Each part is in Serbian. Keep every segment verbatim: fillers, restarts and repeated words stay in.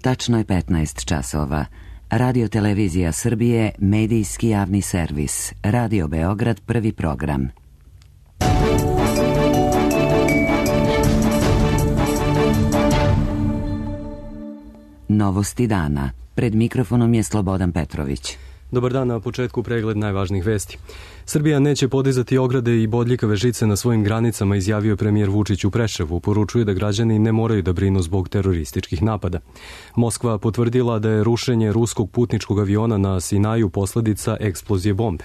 Tačno je petnaest časova. Radio Televizija Srbije, medijski javni servis. Radio Beograd, prvi program. Novosti dana. Pred mikrofonom je Slobodan Petrović. Dobar dan, na početku pregled najvažnijih vesti. Srbija neće podizati ograde i bodljikave žice na svojim granicama, izjavio premijer Vučić u Preševu. Poručuje da građani ne moraju da brinu zbog terorističkih napada. Moskva potvrdila da je rušenje ruskog putničkog aviona na Sinaju posledica eksplozije bombe.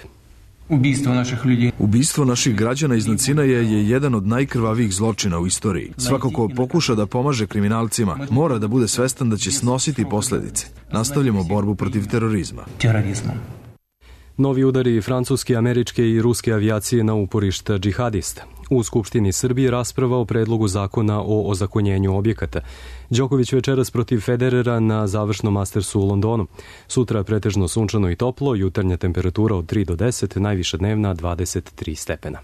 Ubistvo naših ljudi. Ubistvo naših građana iznad Sinaja je jedan od najkrvavijih zločina u istoriji. Svako ko pokuša da pomaže kriminalcima mora da bude svestan da će snositi posledice. Nastavljamo borbu protiv terorizma. Terorizma. Novi udari francuske, američke i ruske avijacije na uporišta džihadista. U Skupštini Srbije rasprava o predlogu zakona o ozakonjenju objekata. Đoković večeras protiv Federera na završnom Mastersu u Londonu. Sutra pretežno sunčano i toplo, jutarnja temperatura od tri do deset, najviša dnevna dvadeset tri stepena.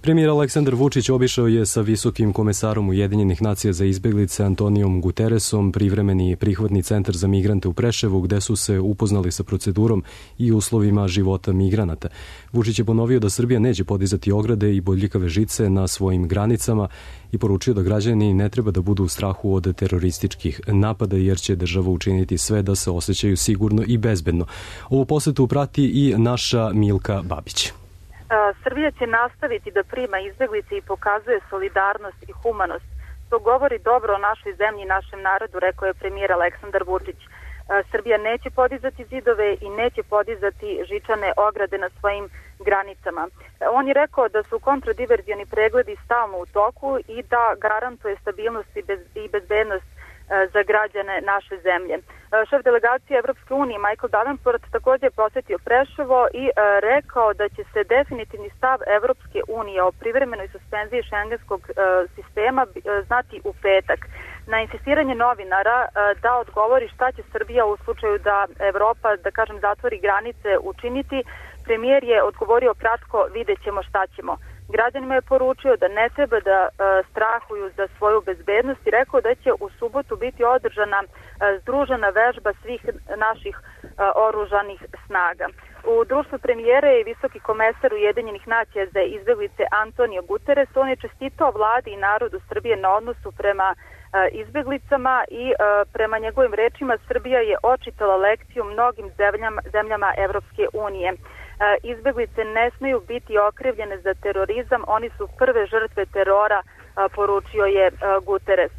Premijer Aleksandar Vučić obišao je sa visokim komesarom Ujedinjenih nacija za izbeglice Antonijom Guteresom privremeni prihvatni centar za migrante u Preševu, gde su se upoznali sa procedurom i uslovima života migranata. Vučić je ponovio da Srbija neće podizati ograde i bodljikave žice na svojim granicama i poručio da građani ne treba da budu u strahu od terorističkih napada, jer će država učiniti sve da se osjećaju sigurno i bezbedno. Ovu posetu prati i naša Milka Babić. Srbija će nastaviti da prima izbeglice i pokazuje solidarnost i humanost. To govori dobro o našoj zemlji i našem narodu, rekao je premijer Aleksandar Vučić. Srbija neće podizati zidove i neće podizati žičane ograde na svojim granicama. On je rekao da su kontradiverzioni pregledi stalno u toku i da garantuje stabilnost i bezbednost za građane naše zemlje. Šef delegacije Evropske unije Michael Davenport također je posetio Preševo i rekao da će se definitivni stav Evropske unije o privremenoj suspenziji šengenskog sistema znati u petak. Na insistiranje novinara da odgovori šta će Srbija u slučaju da Evropa, da kažem, zatvori granice učiniti, premijer je odgovorio kratko: vidjet ćemo šta ćemo. Građanima je poručio da ne treba da e, strahuju za svoju bezbednost i rekao da će u subotu biti održana e, združena vežba svih naših e, oružanih snaga. U društvu premijere i visoki komesar Ujedinjenih nacija za izbeglice Antonio Guterres, on je čestitao vladi i narodu Srbije na odnosu prema e, izbeglicama i e, prema njegovim rečima Srbija je očitala lekciju mnogim zemljama, zemljama Evropske unije. Izbeglice ne smeju biti okrivljene za terorizam, oni su prve žrtve terora, poručio je Guterres.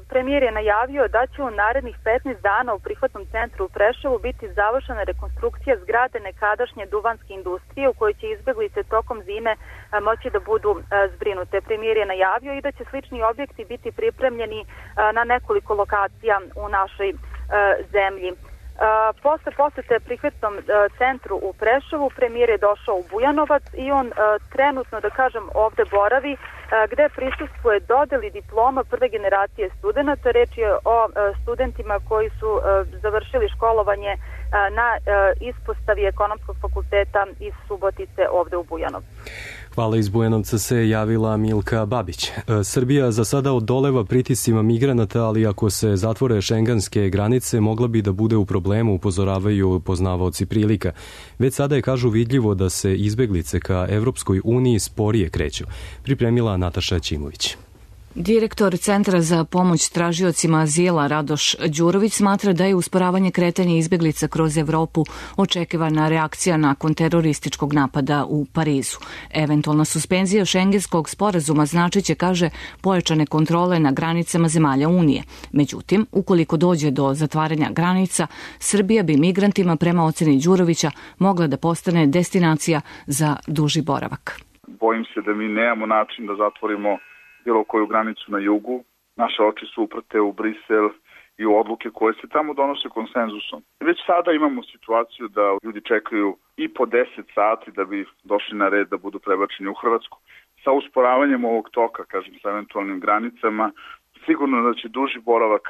Premijer je najavio da će u narednih petnaest dana u prihvatnom centru u Preševu biti završena rekonstrukcija zgrade nekadašnje duvanske industrije u kojoj će izbeglice tokom zime moći da budu zbrinute. Premijer je najavio i da će slični objekti biti pripremljeni na nekoliko lokacija u našoj zemlji. Uh, posle posete prihvatnom uh, centru u Preševu, premijer je došao u Bujanovac i on uh, trenutno, da kažem, ovde boravi, uh, gde prisustvuje dodeli diploma prve generacije studenta. Reč je o uh, studentima koji su uh, završili školovanje uh, na uh, ispostavi Ekonomskog fakulteta iz Subotice ovde u Bujanovcu. Hvala, iz Bujanovca se javila Milka Babić. Srbija za sada odoleva pritiscima migranata, ali ako se zatvore šengenske granice, mogla bi da bude u problemu, upozoravaju poznavaoci prilika. Već sada je, kažu, vidljivo da se izbeglice ka Evropskoj uniji sporije kreću. Pripremila Nataša Ćimović. Direktor Centra za pomoć tražiocima azila Radoš Đurović smatra da je usporavanje kretanja izbeglica kroz Evropu očekivana reakcija nakon terorističkog napada u Parizu. Eventualna suspenzija šengenskog sporazuma značiće, kaže, pojačane kontrole na granicama zemalja Unije. Međutim, ukoliko dođe do zatvaranja granica, Srbija bi migrantima, prema oceni Đurovića, mogla da postane destinacija za duži boravak. Bojim se da mi nemamo način da zatvorimo bilo koju granicu na jugu. Naše oči su uprte u Brisel i u odluke koje se tamo donose konsenzusom. Već sada imamo situaciju da ljudi čekaju i po deset sati da bi došli na red da budu prebačeni u Hrvatsku. Sa usporavanjem ovog toka, kažem, sa eventualnim granicama, sigurno da će duži boravak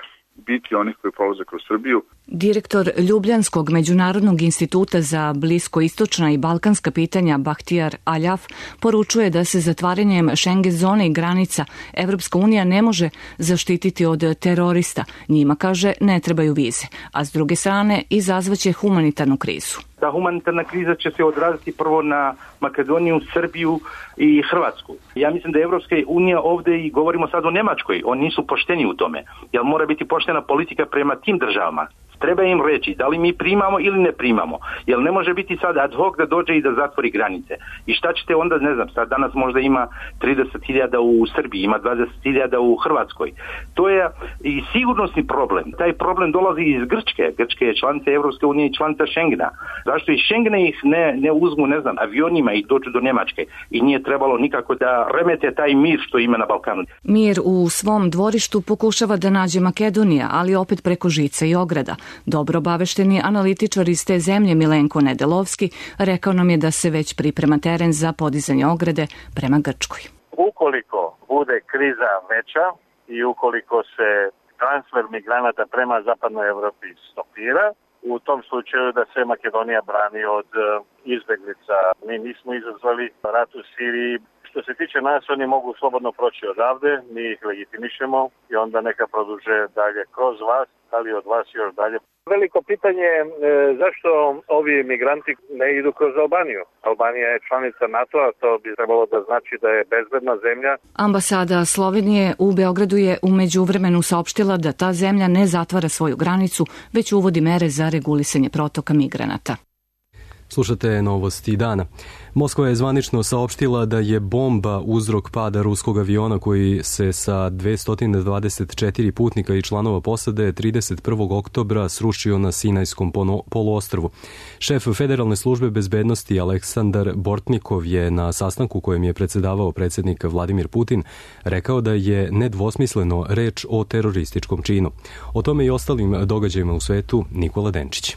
biti onih koji prolaze kroz Srbiju. Direktor Ljubljanskog međunarodnog instituta za bliskoistočna i balkanska pitanja Bahtijar Aljaf poručuje da se zatvaranjem Schengen zone i granica Evropska unija ne može zaštititi od terorista. Njima, kaže, ne trebaju vize, a s druge strane izazvaće humanitarnu krizu. Ta humanitarna kriza će se odraziti prvo na Makedoniju, Srbiju i Hrvatsku. Ja mislim da je Evropska unija ovde, i govorimo sad o Nemačkoj, oni nisu pošteni u tome, jer mora biti poštena politika prema tim državama. Treba im reći da li mi primamo ili ne primamo, jer ne može biti sad ad hoc da dođe i da zatvori granice. I šta ćete onda, ne znam, sad danas možda ima trideset hiljada u Srbiji, ima dvadeset hiljada u Hrvatskoj. To je i sigurnosni problem. Taj problem dolazi iz Grčke. Grčke je članica Evropske unije i članica Schengena. Zašto iz Schengena ih ne, ne uzmu, ne znam, avionima i dođu do Nemačke? I nije trebalo nikako da remete taj mir što ima na Balkanu. Mir u svom dvorištu pokušava da nađe Makedonija, ali opet preko žica i ograda. Dobro obavešteni analitičar iz te zemlje Milenko Nedelovski rekao nam je da se već priprema teren za podizanje ograde prema Grčkoj. Ukoliko bude kriza veća i ukoliko se transfer migranata prema zapadnoj Evropi stopira, u tom slučaju da se Makedonija brani od izbeglica. Mi nismo izazvali rat u Siriji. Što se tiče nas, oni mogu slobodno proći odavde, mi ih legitimišemo i onda neka produže dalje kroz vas, ali od vas još dalje. Veliko pitanje je e, zašto ovi migranti ne idu kroz Albaniju. Albanija je članica NATO-a, to bi trebalo da znači da je bezbedna zemlja. Ambasada Slovenije u Beogradu je u međuvremenu saopštila da ta zemlja ne zatvara svoju granicu, već uvodi mere za regulisanje protoka migranata. Slušate novosti dana. Moskva je zvanično saopštila da je bomba uzrok pada ruskog aviona koji se sa dvesta dvadeset četiri putnika i članova posade trideset prvog oktobra srušio na Sinajskom poluostrvu. Šef Federalne službe bezbednosti Aleksandar Bortnikov je na sastanku kojem je predsedavao predsjednik Vladimir Putin rekao da je nedvosmisleno reč o terorističkom činu. O tome i ostalim događajima u svetu Nikola Denčić.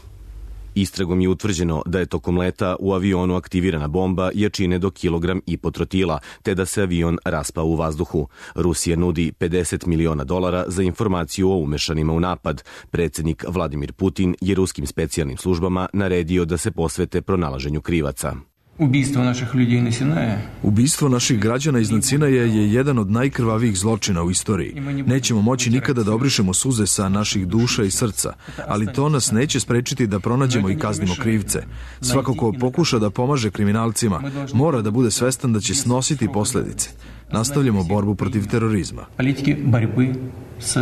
Istragom je utvrđeno da je tokom leta u avionu aktivirana bomba jačine do kilogram i po trotila, te da se avion raspao u vazduhu. Rusija nudi pedeset miliona dolara za informaciju o umešanima u napad. Predsjednik Vladimir Putin je ruskim specijalnim službama naredio da se posvete pronalaženju krivaca. Ubistvo naših ljudi na Sinaje. Ubistvo naših građana iznad Sinaja je jedan od najkrvavijih zločina u istoriji. Nećemo moći nikada da obrišemo suze sa naših duša i srca, ali to nas neće sprečiti da pronađemo i kaznimo krivce. Svako ko pokuša da pomaže kriminalcima mora da bude svestan da će snositi posledice. Nastavljamo borbu protiv terorizma. Politike borbe s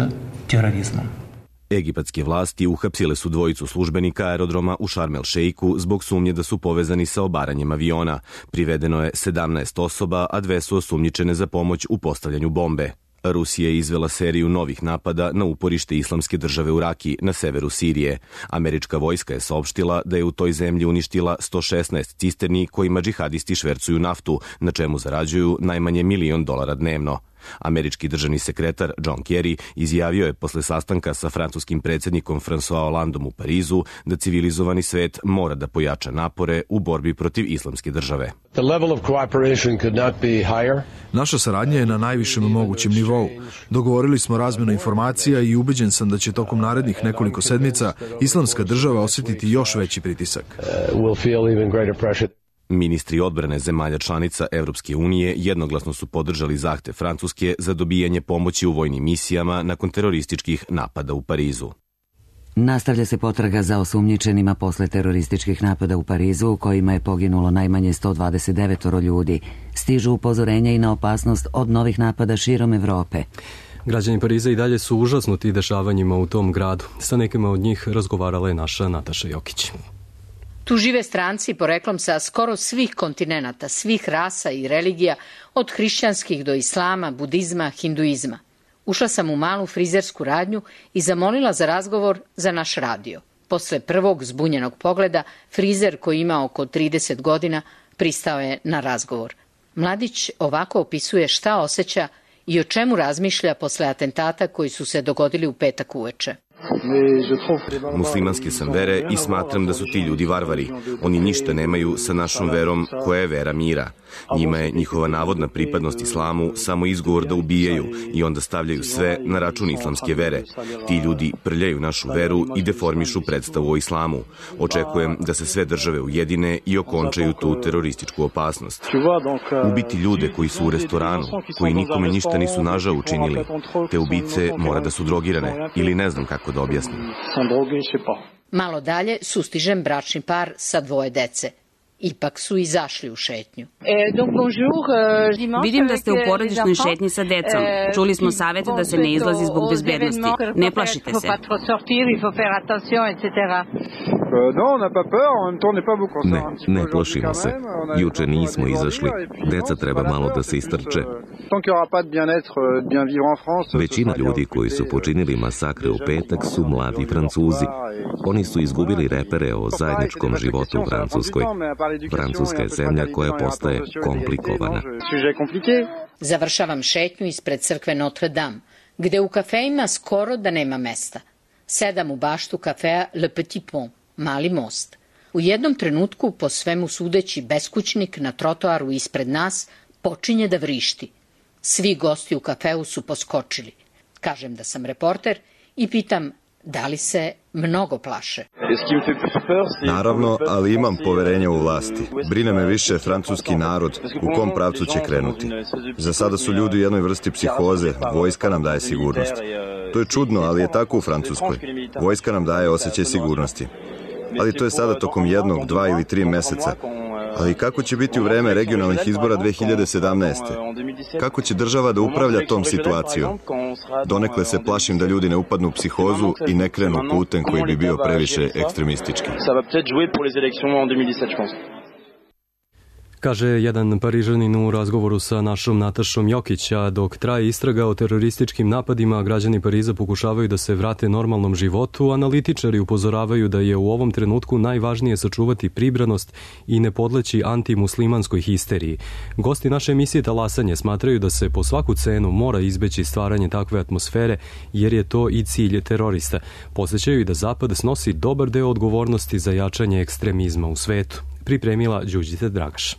terorizmom. Egipatske vlasti uhapsile su dvojicu službenika aerodroma u Šarm el Šeiku zbog sumnje da su povezani sa obaranjem aviona. Privedeno je sedamnaest osoba, a dve su osumnjičene za pomoć u postavljanju bombe. Rusija je izvela seriju novih napada na uporište Islamske države u Raki na severu Sirije. Američka vojska je saopštila da je u toj zemlji uništila sto šesnaest cisterni kojima džihadisti švercuju naftu, na čemu zarađuju najmanje milion dolara dnevno. Američki državni sekretar John Kerry izjavio je posle sastanka sa francuskim predsjednikom François Hollandom u Parizu da civilizovani svet mora da pojača napore u borbi protiv Islamske države. Naša saradnja je na najvišem mogućem nivou. Dogovorili smo razmjenu informacija i ubeđen sam da će tokom narednih nekoliko sedmica Islamska država osjetiti još veći pritisak. Ministri odbrane zemalja članica Evropske unije jednoglasno su podržali zahtev Francuske za dobijanje pomoći u vojnim misijama nakon terorističkih napada u Parizu. Nastavlja se potraga za osumnjičenima posle terorističkih napada u Parizu, u kojima je poginulo najmanje sto dvadeset devet ljudi. Stižu upozorenja i na opasnost od novih napada širom Evrope. Građani Pariza i dalje su užasnuti dešavanjima u tom gradu. Sa nekima od njih razgovarala je naša Nataša Jokić. Tu žive stranci poreklom sa skoro svih kontinenata, svih rasa i religija, od hrišćanskih do islama, budizma, hinduizma. Ušla sam u malu frizersku radnju i zamolila za razgovor za naš radio. Posle prvog zbunjenog pogleda, frizer koji ima oko trideset godina pristao je na razgovor. Mladić ovako opisuje šta osjeća i o čemu razmišlja posle atentata koji su se dogodili u petak uveče. Muslimanske sam vere i smatram da su ti ljudi varvari. Oni ništa nemaju sa našom verom koja je vera mira. Njima je njihova navodna pripadnost islamu samo izgovor da ubijaju i onda stavljaju sve na račun islamske vere. Ti ljudi prljaju našu veru i deformišu predstavu o islamu. Očekujem da se sve države ujedine i okončaju tu terorističku opasnost. Ubiti ljude koji su u restoranu, koji nikome ništa nisu nažao učinili, te ubice mora da su drogirane ili ne znam kako da objasnim. Malo dalje sustižem bračni par sa dvoje dece. Ipak su izašli u šetnju. Vidim da ste u porodičnoj šetnji sa decom. Čuli smo savete da se ne izlazi zbog bezbednosti. Ne plašite se. Ne, ne plašimo se. Juče nismo izašli. Deca treba malo da se istrče. Većina ljudi koji su počinili masakre u petak su mladi Francuzi. Oni su izgubili repere o zajedničkom životu u Francuskoj. Francuska je zemlja koja postaje komplikovana. Završavam šetnju ispred crkve Notre Dame, gde u kafeima skoro da nema mesta. Sedam u baštu kafea Le Petit Pont, Mali most. U jednom trenutku, po svemu sudeći, beskućnik na trotoaru ispred nas počinje da vrišti. Svi gosti u kafeu su poskočili. Kažem da sam reporter i pitam da li se mnogo plaše. Naravno, ali imam poverenja u vlasti. Brine me više francuski narod, u kom pravcu će krenuti. Za sada su ljudi u jednoj vrsti psihoze, vojska nam daje sigurnost. To je čudno, ali je tako u Francuskoj. Vojska nam daje osjećaj sigurnosti. Ali to je sada tokom jednog, dva ili tri meseca. Ali kako će biti u vreme regionalnih izbora dve hiljade sedamnaeste. Kako će država da upravlja tom situacijom? Donekle se plašim da ljudi ne upadnu u psihozu i ne krenu putem koji bi bio previše ekstremistički. Kaže jedan Parižanin u razgovoru sa našom Natašom Jokića. Dok traje istraga o terorističkim napadima, građani Pariza pokušavaju da se vrate normalnom životu. Analitičari upozoravaju da je u ovom trenutku najvažnije sačuvati pribranost i ne podleći antimuslimanskoj histeriji. Gosti naše emisije Talasanje smatraju da se po svaku cenu mora izbeći stvaranje takve atmosfere, jer je to i cilj terorista. Podsećaju i da Zapad snosi dobar deo odgovornosti za jačanje ekstremizma u svetu. Pripremila Đurđica Dragaš.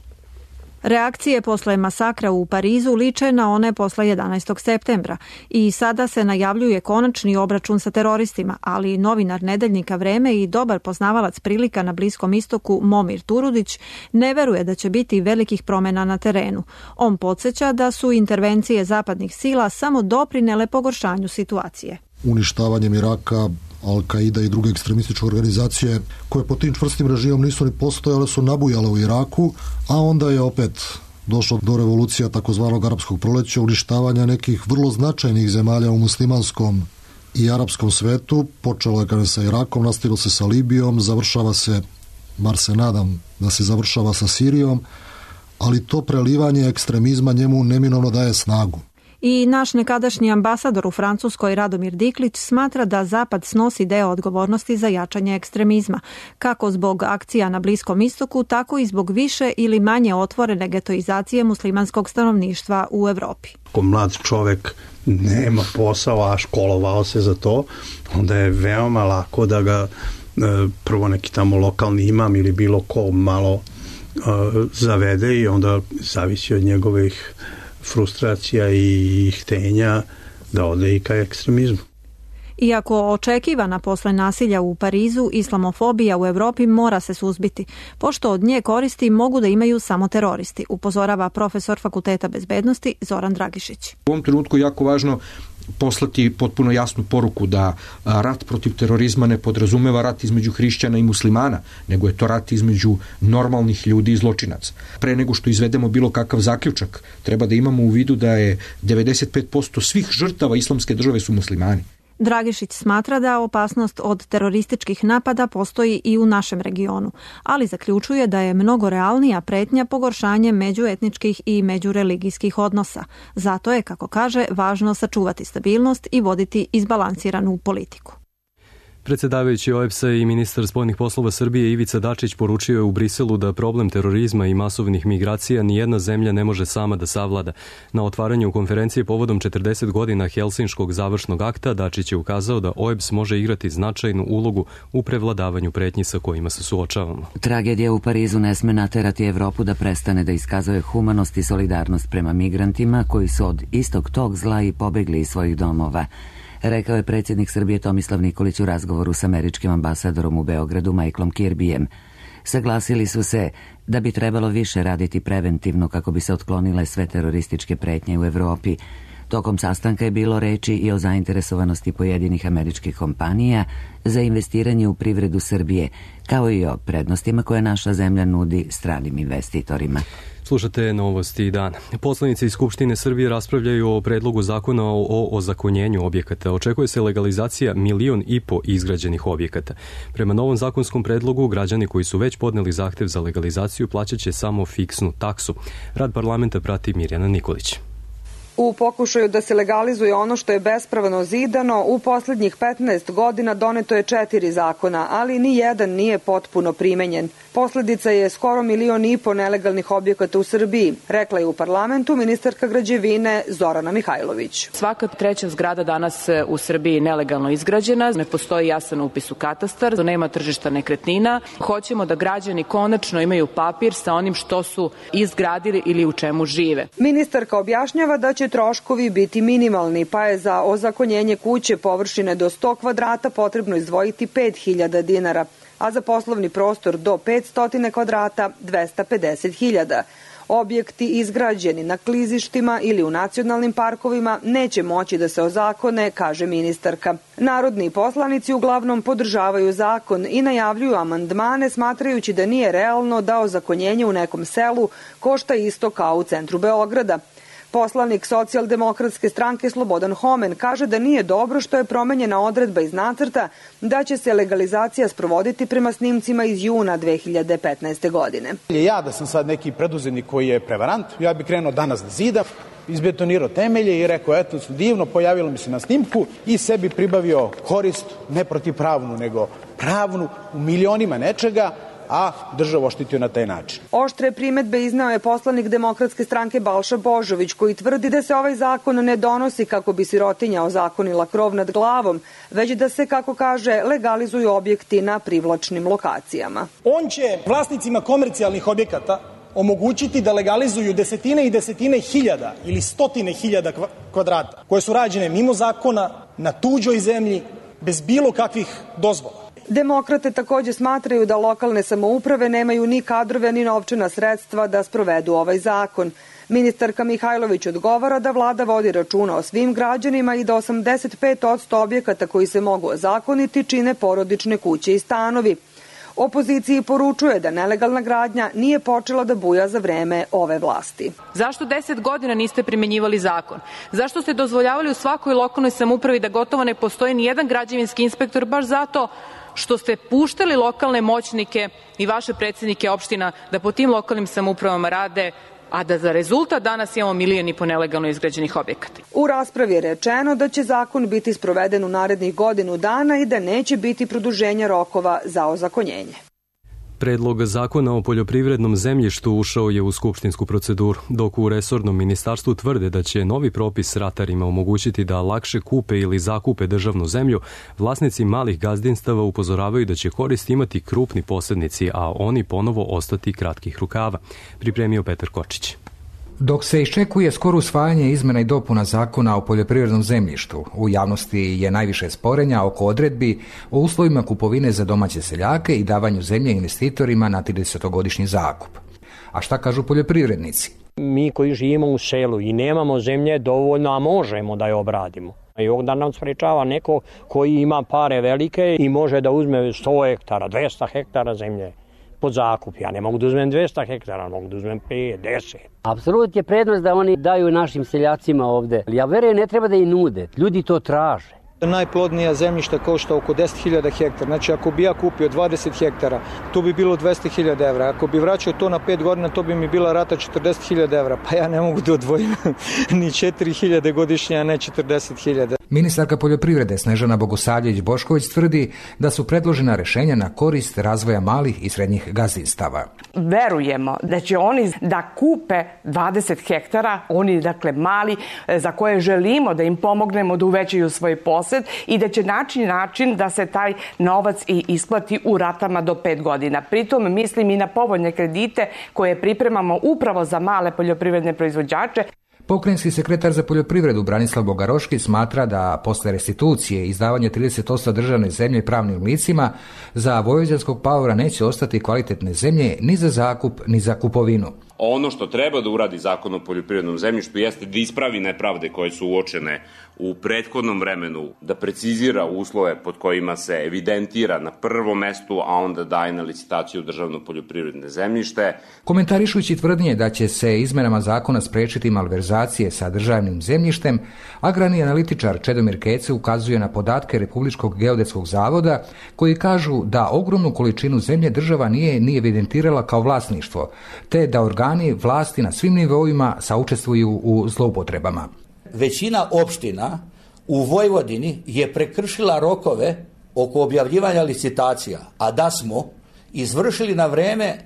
Reakcije posle masakra u Parizu liče na one posle jedanaestog septembra i sada se najavljuje konačni obračun sa teroristima, ali novinar nedeljnika Vreme i dobar poznavalac prilika na Bliskom istoku Momir Turudić ne veruje da će biti velikih promena na terenu. On podsjeća da su intervencije zapadnih sila samo doprinele pogoršanju situacije. Uništavanjem Iraka, Al-Qaida i druge ekstremističke organizacije koje po tim čvrstim režimom nisu ni postojale su nabujale u Iraku, a onda je opet došlo do revolucija takozvanog arapskog proleća, uništavanja nekih vrlo značajnih zemalja u muslimanskom i arapskom svetu. Počelo je kada sa Irakom, nastavilo se sa Libijom, završava se, bar se nadam da se završava sa Sirijom, ali to prelivanje ekstremizma njemu neminovno daje snagu. I naš nekadašnji ambasador u Francuskoj Radomir Diklić smatra da Zapad snosi deo odgovornosti za jačanje ekstremizma, kako zbog akcija na Bliskom istoku, tako i zbog više ili manje otvorene getoizacije muslimanskog stanovništva u Evropi. Ako mlad čovek nema posao, a školovao se za to, onda je veoma lako da ga prvo neki tamo lokalni imam ili bilo ko malo zavede i onda zavisi od njegovih frustracija i htenja da ode i ka ekstremizmu. Iako očekivana posle nasilja u Parizu, islamofobija u Evropi mora se suzbiti, pošto od nje koristi mogu da imaju samo teroristi, upozorava profesor Fakulteta bezbednosti Zoran Dragišić. U ovom trenutku je jako važno poslati potpuno jasnu poruku da rat protiv terorizma ne podrazumeva rat između hrišćana i muslimana, nego je to rat između normalnih ljudi i zločinaca. Pre nego što izvedemo bilo kakav zaključak, treba da imamo u vidu da je devedeset pet posto svih žrtava islamske države su muslimani. Dragišić smatra da opasnost od terorističkih napada postoji i u našem regionu, ali zaključuje da je mnogo realnija pretnja pogoršanje međuetničkih i međureligijskih odnosa. Zato je, kako kaže, važno sačuvati stabilnost i voditi izbalansiranu politiku. Predsedavajući O E B S-a i ministar spoljnih poslova Srbije Ivica Dačić poručio je u Briselu da problem terorizma i masovnih migracija nijedna zemlja ne može sama da savlada. Na otvaranju konferencije povodom četrdeset godina Helsinškog završnog akta Dačić je ukazao da O E B S može igrati značajnu ulogu u prevladavanju pretnji sa kojima se suočavamo. Tragedija u Parizu ne sme naterati Evropu da prestane da iskazuje humanost i solidarnost prema migrantima koji su od istog tog zla i pobegli iz svojih domova, rekao je predsjednik Srbije Tomislav Nikolić u razgovoru s američkim ambasadorom u Beogradu Michaelom Kirbyjem. Saglasili su se da bi trebalo više raditi preventivno kako bi se otklonile sve terorističke pretnje u Evropi. Tokom sastanka je bilo reči i o zainteresovanosti pojedinih američkih kompanija za investiranje u privredu Srbije, kao i o prednostima koje naša zemlja nudi stranim investitorima. Slušate novosti dana. Poslanici iz Skupštine Srbije raspravljaju o predlogu zakona o ozakonjenju objekata. Očekuje se legalizacija milion i po izgrađenih objekata. Prema novom zakonskom predlogu, građani koji su već podneli zahtev za legalizaciju plaćat će samo fiksnu taksu. Rad parlamenta prati Mirjana Nikolić. U pokušaju da se legalizuje ono što je bespravno zidano, u posljednjih petnaest godina doneto je četiri zakona, ali ni jedan nije potpuno primenjen. Posljedica je skoro milion i po nelegalnih objekata u Srbiji, rekla je u parlamentu ministarka građevine Zorana Mihajlović. Svaka treća zgrada danas u Srbiji nelegalno izgrađena, ne postoji jasan upis u katastar, nema tržišta nekretnina. Hoćemo da građani konačno imaju papir sa onim što su izgradili ili u čemu žive. Ministarka objašnjava da će troškovi biti minimalni, pa je za ozakonjenje kuće površine do sto kvadrata potrebno izdvojiti pet hiljada dinara, a za poslovni prostor do petsto kvadrata dvesta pedeset hiljada. Objekti izgrađeni na klizištima ili u nacionalnim parkovima neće moći da se ozakone, kaže ministarka. Narodni poslanici uglavnom podržavaju zakon i najavljuju amandmane, smatrajući da nije realno da ozakonjenje u nekom selu košta isto kao u centru Beograda. Poslanik Socijaldemokratske stranke Slobodan Homen kaže da nije dobro što je promenjena odredba iz nacrta da će se legalizacija sprovoditi prema snimcima iz juna dve hiljade petnaeste. godine. Ja da sam sad neki preduzetnik koji je prevarant, ja bih krenuo danas da zidam, izbetonirao temelje i rekao, eto, divno, pojavilo mi se na snimku i sebi pribavio korist, ne protivpravnu, nego pravnu, u milionima nečega, a državu oštitio na taj način. Oštre primetbe izneo je poslanik Demokratske stranke Balša Božović, koji tvrdi da se ovaj zakon ne donosi kako bi sirotinja ozakonila krov nad glavom, već da se, kako kaže, legalizuju objekti na privlačnim lokacijama. On će vlasnicima komercijalnih objekata omogućiti da legalizuju desetine i desetine hiljada ili stotine hiljada kvadrata koje su rađene mimo zakona, na tuđoj zemlji, bez bilo kakvih dozvola. Demokrate također smatraju da lokalne samouprave nemaju ni kadrove ni novčana sredstva da sprovedu ovaj zakon. Ministarka Mihajlović odgovara da vlada vodi računa o svim građanima i da osamdeset pet posto objekata koji se mogu ozakoniti čine porodične kuće i stanovi. Opoziciji poručuje da nelegalna gradnja nije počela da buja za vreme ove vlasti. Zašto deset godina niste primenjivali zakon? Zašto ste dozvoljavali u svakoj lokalnoj samoupravi da gotovo ne postoji ni jedan građevinski inspektor, baš zato što ste puštali lokalne moćnike i vaše predsjednike opština da po tim lokalnim samoupravama rade, a da za rezultat danas imamo milijon i po nelegalno izgrađenih objekata. U raspravi je rečeno da će zakon biti sproveden u narednih godinu dana i da neće biti produženja rokova za ozakonjenje. Predlog zakona o poljoprivrednom zemljištu ušao je u skupštinsku proceduru, dok u resornom ministarstvu tvrde da će novi propis ratarima omogućiti da lakše kupe ili zakupe državnu zemlju. Vlasnici malih gazdinstava upozoravaju da će korist imati krupni posrednici, a oni ponovo ostati kratkih rukava. Pripremio Petar Kočić. Dok se iščekuje skoro usvajanje izmena i dopuna zakona o poljoprivrednom zemljištu, u javnosti je najviše sporenja oko odredbi o uslovima kupovine za domaće seljake i davanju zemlje investitorima na tridesetogodišnji zakup. A šta kažu poljoprivrednici? Mi koji živimo u selu i nemamo zemlje dovoljno, a možemo da je obradimo. I ovdje nam sprečava neko koji ima pare velike i može da uzme sto hektara, dvesta hektara zemlje pod zakup. Ja ne mogu da uzmem dvesta hektara, mogu da uzmem pet, deset. Apsolutno je prednost da oni daju našim seljacima ovde. Ja verujem, ne treba da i nude. Ljudi to traže. Najplodnija zemljišta košta oko deset hiljada hektara. Znači, ako bi ja kupio dvadeset hektara, to bi bilo dvesta hiljada evra. Ako bi vraćao to na pet godina, to bi mi bila rata četrdeset hiljada evra. Pa ja ne mogu da odvojim ni četiri hiljade godišnje, a ne četrdeset hiljada. Ministarka poljoprivrede Snežana Bogosavljević-Bošković tvrdi da su predložena rešenja na korist razvoja malih i srednjih gazdinstava. Verujemo da će oni da kupe dvadeset hektara, oni dakle mali, za koje želimo da im pomognemo da uvećaju svoj posed i da će naći način da se taj novac i isplati u ratama do pet godina. Pritom mislim i na povoljne kredite koje pripremamo upravo za male poljoprivredne proizvođače. Pokrajinski sekretar za poljoprivredu Branislav Bogaroški smatra da posle restitucije i izdavanja trideset osam državne zemlje pravnim licima za vojvođanskog paora neće ostati kvalitetne zemlje ni za zakup ni za kupovinu. Ono što treba da uradi Zakon o poljoprivrednom zemljištu jeste da ispravi nepravde koje su uočene u prethodnom vremenu, da precizira uslove pod kojima se evidentira na prvom mestu, a onda daje na licitaciju državno poljoprivredne zemljište. Komentarišujući tvrdnje da će se izmenama zakona sprečiti malverzacije sa državnim zemljištem, agrarni analitičar Čedomir Kece ukazuje na podatke Republičkog geodetskog zavoda koji kažu da ogromnu količinu zemlje država nije ni evidentirala kao vlasništvo, te da organi vlasti na svim nivoima saučestvuju u zloupotrebama. Većina opština u Vojvodini je prekršila rokove oko objavljivanja licitacija, a da smo izvršili na vreme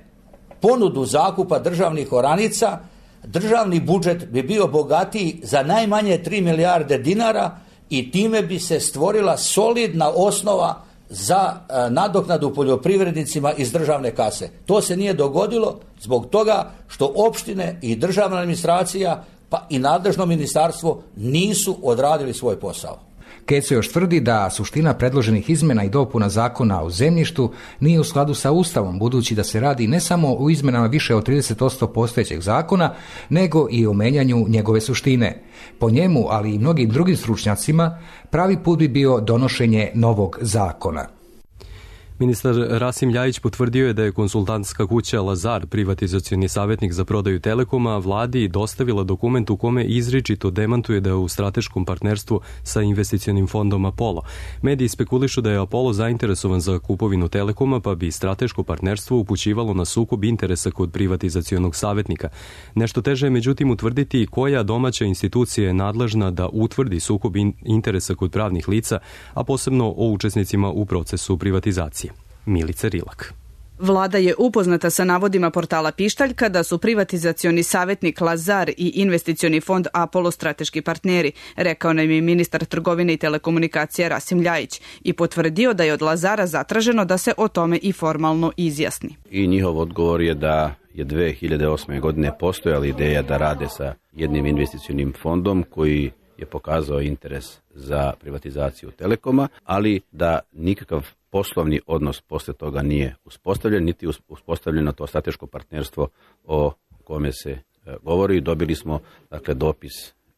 ponudu zakupa državnih oranica, državni budžet bi bio bogatiji za najmanje tri milijarde dinara i time bi se stvorila solidna osnova za nadoknadu poljoprivrednicima iz državne kase. To se nije dogodilo zbog toga što opštine i državna administracija pa i nadležno ministarstvo nisu odradili svoj posao. Keco još tvrdi da suština predloženih izmena i dopuna zakona o zemljištu nije u skladu sa Ustavom, budući da se radi ne samo o izmenama više od trideset odsto postojećeg zakona, nego i o menjanju njegove suštine. Po njemu, ali i mnogim drugim stručnjacima, pravi put bi bio donošenje novog zakona. Ministar Rasim Ljajić potvrdio je da je konsultantska kuća Lazar, privatizacioni savjetnik za prodaju Telekoma, vladi dostavila dokument u kome izričito demantuje da je u strateškom partnerstvu sa investicionim fondom Apollo. Mediji spekulišu da je Apollo zainteresovan za kupovinu Telekoma, pa bi strateško partnerstvo upućivalo na sukob interesa kod privatizacionog savjetnika. Nešto teže je međutim utvrditi koja domaća institucija je nadležna da utvrdi sukob interesa kod pravnih lica, a posebno o učesnicima u procesu privatizacije. Milica Rilak. Vlada je upoznata sa navodima portala Pištaljka da su privatizacioni savjetnik Lazar i investicioni fond Apollo strateški partneri, rekao nam je ministar trgovine i telekomunikacija Rasim Ljajić i potvrdio da je od Lazara zatraženo da se o tome i formalno izjasni. I njihov odgovor je da je dve hiljade osme. godine postojala ideja da rade sa jednim investicionim fondom koji je pokazao interes za privatizaciju Telekoma, ali da nikakav poslovni odnos posle toga nije uspostavljen, niti uspostavljeno to strateško partnerstvo o kome se govori. Dobili smo dakle dopis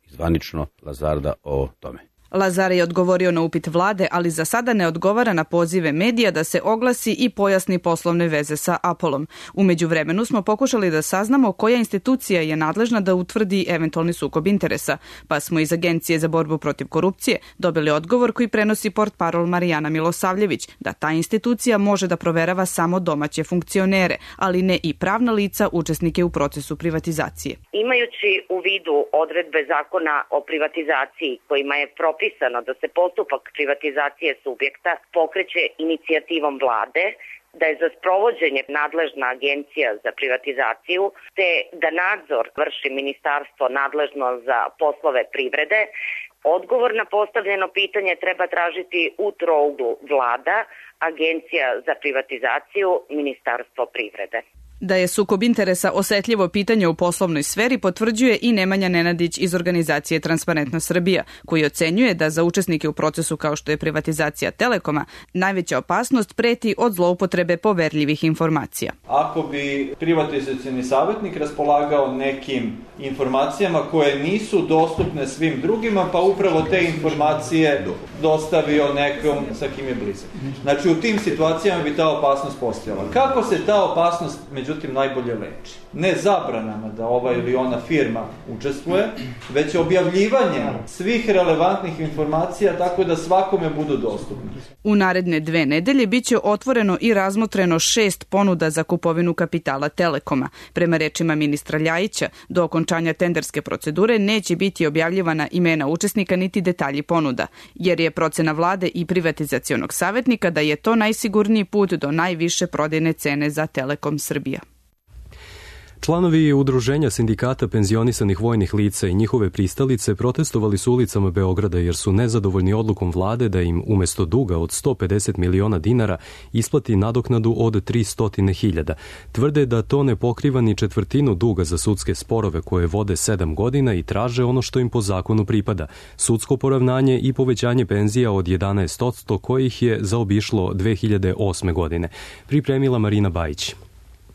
zvanično Lazarda o tome. Lazar je odgovorio na upit vlade, ali za sada ne odgovara na pozive medija da se oglasi i pojasni poslovne veze sa Apollom. U međuvremenu smo pokušali da saznamo koja institucija je nadležna da utvrdi eventualni sukob interesa, pa smo iz Agencije za borbu protiv korupcije dobili odgovor koji prenosi portparol Marijana Milosavljević, da ta institucija može da proverava samo domaće funkcionere, ali ne i pravna lica učesnike u procesu privatizacije. Imajući u vidu odredbe zakona o privatizaciji kojima je propisano da se postupak privatizacije subjekta pokreće inicijativom vlade, da je za sprovođenje nadležna agencija za privatizaciju, te da nadzor vrši ministarstvo nadležno za poslove privrede, odgovor na postavljeno pitanje treba tražiti u trouglu vlada, agencija za privatizaciju, ministarstvo privrede. Da je sukob interesa osetljivo pitanje u poslovnoj sferi potvrđuje i Nemanja Nenadić iz organizacije Transparentna Srbija, koji ocenjuje da za učesnike u procesu kao što je privatizacija Telekoma najveća opasnost preti od zloupotrebe poverljivih informacija. Ako bi privatizacioni savjetnik raspolagao nekim informacijama koje nisu dostupne svim drugima, pa upravo te informacije dostavio nekom sa kim je blizak. Znači u tim situacijama bi ta opasnost postojala. Kako se ta opasnost međutim najbolje leči? ne zabranama da ova ili ona firma učestvuje, već objavljivanje svih relevantnih informacija tako da svakome budu dostupni. U naredne dve nedelje biće otvoreno i razmotreno šest ponuda za kupovinu kapitala Telekoma. Prema rečima ministra Ljajića, do okončanja tenderske procedure neće biti objavljivana imena učesnika niti detalji ponuda, jer je procena vlade i privatizacionog savjetnika da je to najsigurniji put do najviše prodajne cene za Telekom Srbija. Članovi Udruženja sindikata penzionisanih vojnih lica i njihove pristalice protestovali su ulicama Beograda jer su nezadovoljni odlukom vlade da im umesto duga od sto pedeset miliona dinara isplati nadoknadu od tristo hiljada. Tvrde da to ne pokriva ni četvrtinu duga za sudske sporove koje vode sedam godina i traže ono što im po zakonu pripada, sudsko poravnanje i povećanje penzija od jedanaest posto kojih je zaobišlo dve hiljade osme. godine. Pripremila Marina Bajić.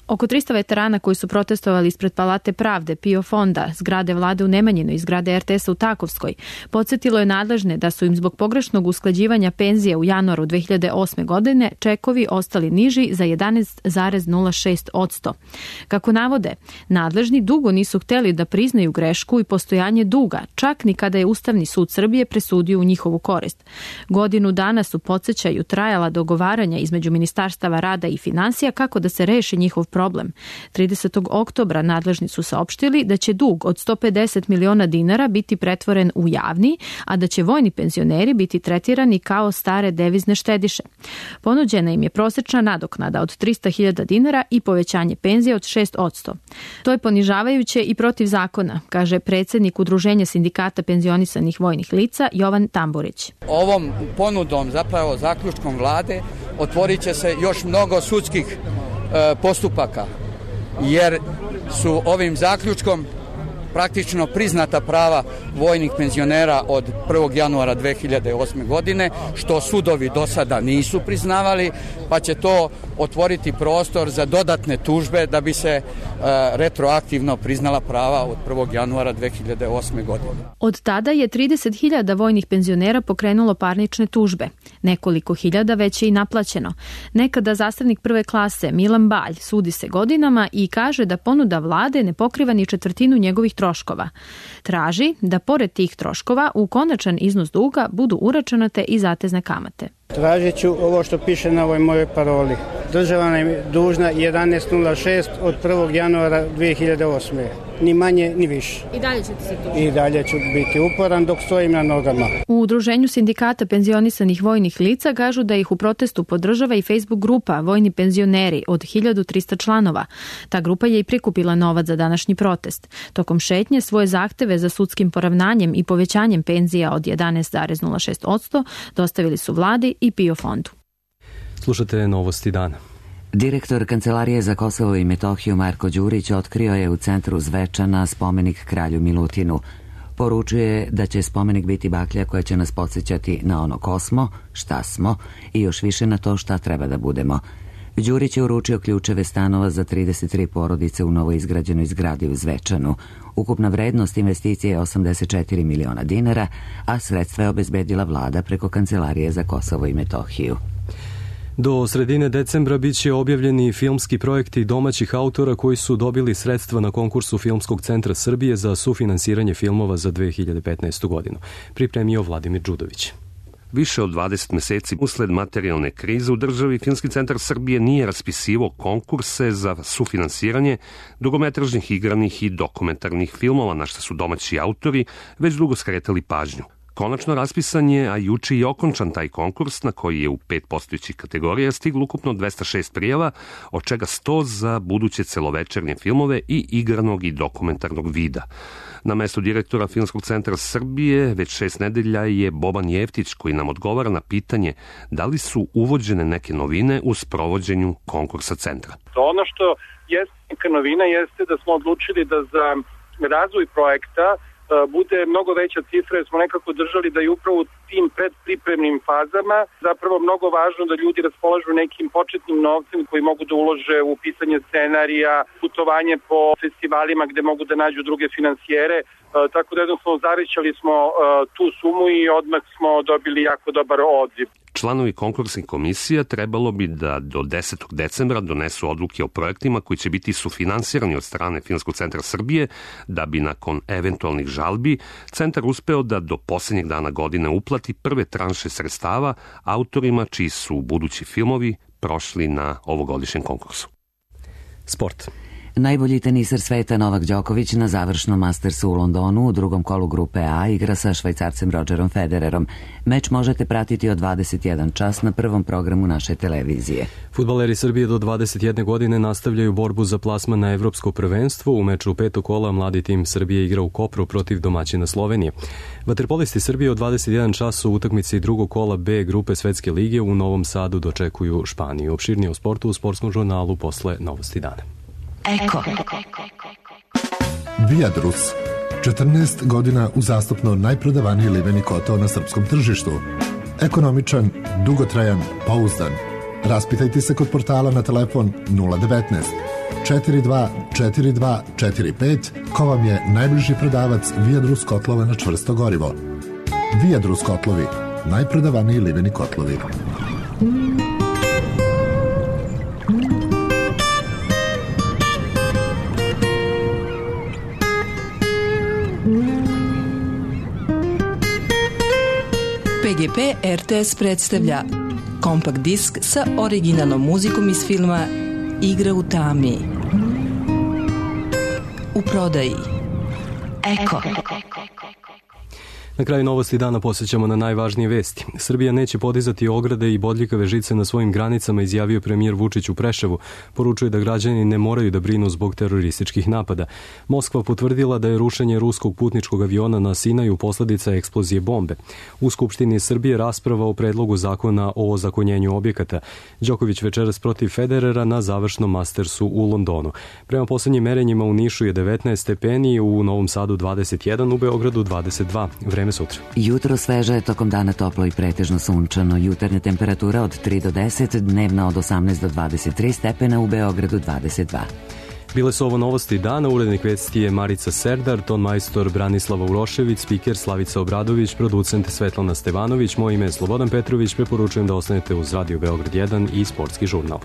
Oko trista veterana koji su protestovali ispred Palate pravde, PIO fonda, zgrade vlade u Nemanjinoj i zgrade er te es-a u Takovskoj, podsjetilo je nadležne da su im zbog pogrešnog usklađivanja penzija u januaru dve hiljade osme. godine čekovi ostali niži za jedanaest zarez nula šest posto. Kako navode, nadležni dugo nisu hteli da priznaju grešku i postojanje duga, čak ni kada je Ustavni sud Srbije presudio u njihovu korist. Godinu dana su, podsjećaju, trajala dogovaranja između Ministarstava rada i finansija kako da se reši njihov problem. tridesetog oktobra nadležni su saopštili da će dug od sto pedeset miliona dinara biti pretvoren u javni, a da će vojni penzioneri biti tretirani kao stare devizne štediše. Ponuđena im je prosečna nadoknada od trista hiljada dinara i povećanje penzije od šest posto. To je ponižavajuće i protiv zakona, kaže predsjednik Udruženja sindikata penzionisanih vojnih lica Jovan Tamburić. Ovom ponudom, zapravo zaključkom vlade, otvorit će se još mnogo sudskih postupaka, jer su ovim zaključkom praktično priznata prava vojnih penzionera od prvog januara dve hiljade osme. godine, što sudovi do sada nisu priznavali, pa će to otvoriti prostor za dodatne tužbe da bi se e, retroaktivno priznala prava od prvog januara dve hiljade osme. godine. Od tada je trideset hiljada vojnih penzionera pokrenulo parnične tužbe. Nekoliko hiljada već je i naplaćeno. Nekada zastavnik prve klase Milan Balj sudi se godinama i kaže da ponuda vlade ne pokriva ni četvrtinu njegovih troškova. Traži da pored tih troškova u konačan iznos duga budu uračunate i zatezne kamate. Tražit ću ovo što piše na ovoj mojoj paroli. Država nam je dužna jedanaest nula šest od prvog januara dve hiljade osme. Ni manje, ni više. I dalje ćete se tužiti? I dalje ću biti uporan dok stojim na nogama. U Udruženju sindikata penzionisanih vojnih lica kažu da ih u protestu podržava i Facebook grupa Vojni penzioneri od hiljadu trista članova. Ta grupa je i prikupila novac za današnji protest. Tokom šetnje svoje zahteve za sudskim poravnanjem i povećanjem penzija od jedanaest zarez nula šest posto dostavili su vladi i PIO fondu. Slušate novosti dana. Direktor Kancelarije za Kosovo i Metohiju Marko Đurić otkrio je u centru Zvečana spomenik kralju Milutinu. Poručuje da će spomenik biti baklja koja će nas podsjećati na ono ko smo, šta smo i još više na to šta treba da budemo. Đurić je uručio ključeve stanova za trideset tri porodice u novoizgrađenoj zgradi u Zvečanu. Ukupna vrednost investicije je osamdeset četiri miliona dinara, a sredstva je obezbedila vlada preko Kancelarije za Kosovo i Metohiju. Do sredine decembra biće objavljeni filmski projekti domaćih autora koji su dobili sredstva na konkursu Filmskog centra Srbije za sufinansiranje filmova za dve hiljade petnaestu. godinu. Pripremio Vladimir Đudović. Više od dvadeset meseci usled materijalne krize u državi, Filmski centar Srbije nije raspisivao konkurse za sufinansiranje dugometražnih, igranih i dokumentarnih filmova, na što su domaći autori već dugo skretali pažnju. Konačno raspisan je, a juče i okončan taj konkurs na koji je u pet postojećih kategorija stiglo ukupno dvesta šest prijava, od čega sto za buduće celovečernje filmove i igranog i dokumentarnog vida. Na mestu direktora Filmskog centra Srbije već šest nedelja je Boban Jeftić koji nam odgovara na pitanje da li su uvođene neke novine u sprovođenju konkursa centra. Ono što jeste neka novina jeste da smo odlučili da za razvoj projekta bude mnogo veća cifra, jer smo nekako držali da je upravo u tim predpripremnim fazama zapravo mnogo važno da ljudi raspolažu nekim početnim novcem koji mogu da ulože u pisanje scenarija, putovanje po festivalima gde mogu da nađu druge finansijere, e, tako da jednostavno zavećali smo e, tu sumu i odmah smo dobili jako dobar odziv. Članovi konkursnih komisija trebalo bi da do desetog decembra donesu odluke o projektima koji će biti sufinansirani od strane Filmskog centra Srbije, da bi nakon eventualnih žalbi centar uspeo da do posljednjeg dana godine uplati prve tranše sredstava autorima čiji su budući filmovi prošli na ovogodišnjem konkursu. Sport. Najbolji teniser sveta Novak Đoković na završnom Mastersu u Londonu u drugom kolu grupe A igra sa Švajcarcem Rodgerom Federerom. Meč možete pratiti od dvadeset jedan čas na prvom programu naše televizije. Fudbaleri Srbije do dvadeset jedne godine nastavljaju borbu za plasman na evropsko prvenstvo. U meču petog kola mladi tim Srbije igra u Kopru protiv domaćina Slovenije. Vaterpolisti Srbije od dvadeset jedan čas u utakmici drugog kola B grupe Svetske lige u Novom Sadu dočekuju Španiju. Opširnije o sportu u sportskom žurnalu posle Novosti dana. Eko. Viadrus. četrnaest godina uzastopno najprodavaniji liveni kotao na srpskom tržištu. Ekonomičan, dugotrajan, pouzdan. Raspitajte se kod portala na telefon nula devetnaest četiri dva četiri dva četiri pet ko vam je najbliži prodavac Viadrus kotlova na čvrsto gorivo. Viadrus kotlovi. Najprodavaniji liveni kotlovi. P G P R T S predstavlja kompakt disk sa originalnom muzikom iz filma Igra u tami. U prodaji Eko. Na kraju Novosti dana posjećamo na najvažnije vesti. Srbija neće podizati ograde i bodljikave žice na svojim granicama, izjavio premijer Vučić u Preševu. Poručuje da građani ne moraju da brinu zbog terorističkih napada. Moskva potvrdila da je rušenje ruskog putničkog aviona na Sinaju posledica eksplozije bombe. U Skupštini Srbije rasprava o predlogu zakona o ozakonjenju objekata. Đoković večeras protiv Federera na završnom Mastersu u Londonu. Prema poslednjim merenjima u Nišu je devetnaest stepeni, u Novom Sadu dvadeset jedan, u Beogradu dvadeset dva. Vreme sutra. Jutro sveže, tokom dana toplo i pretežno sunčano. Jutarnja temperatura od tri do deset, dnevna od osamnaest do dvadeset tri stepena, u Beogradu dvadeset dva. Bile su ovo Novosti dana, urednik vesti je Marica Serdar, ton majstor Branislava Urošević, spiker Slavica Obradović, producent Svetlana Stevanović, moje ime je Slobodan Petrović, preporučujem da ostanete uz Radio Beograd jedan i Sportski žurnal.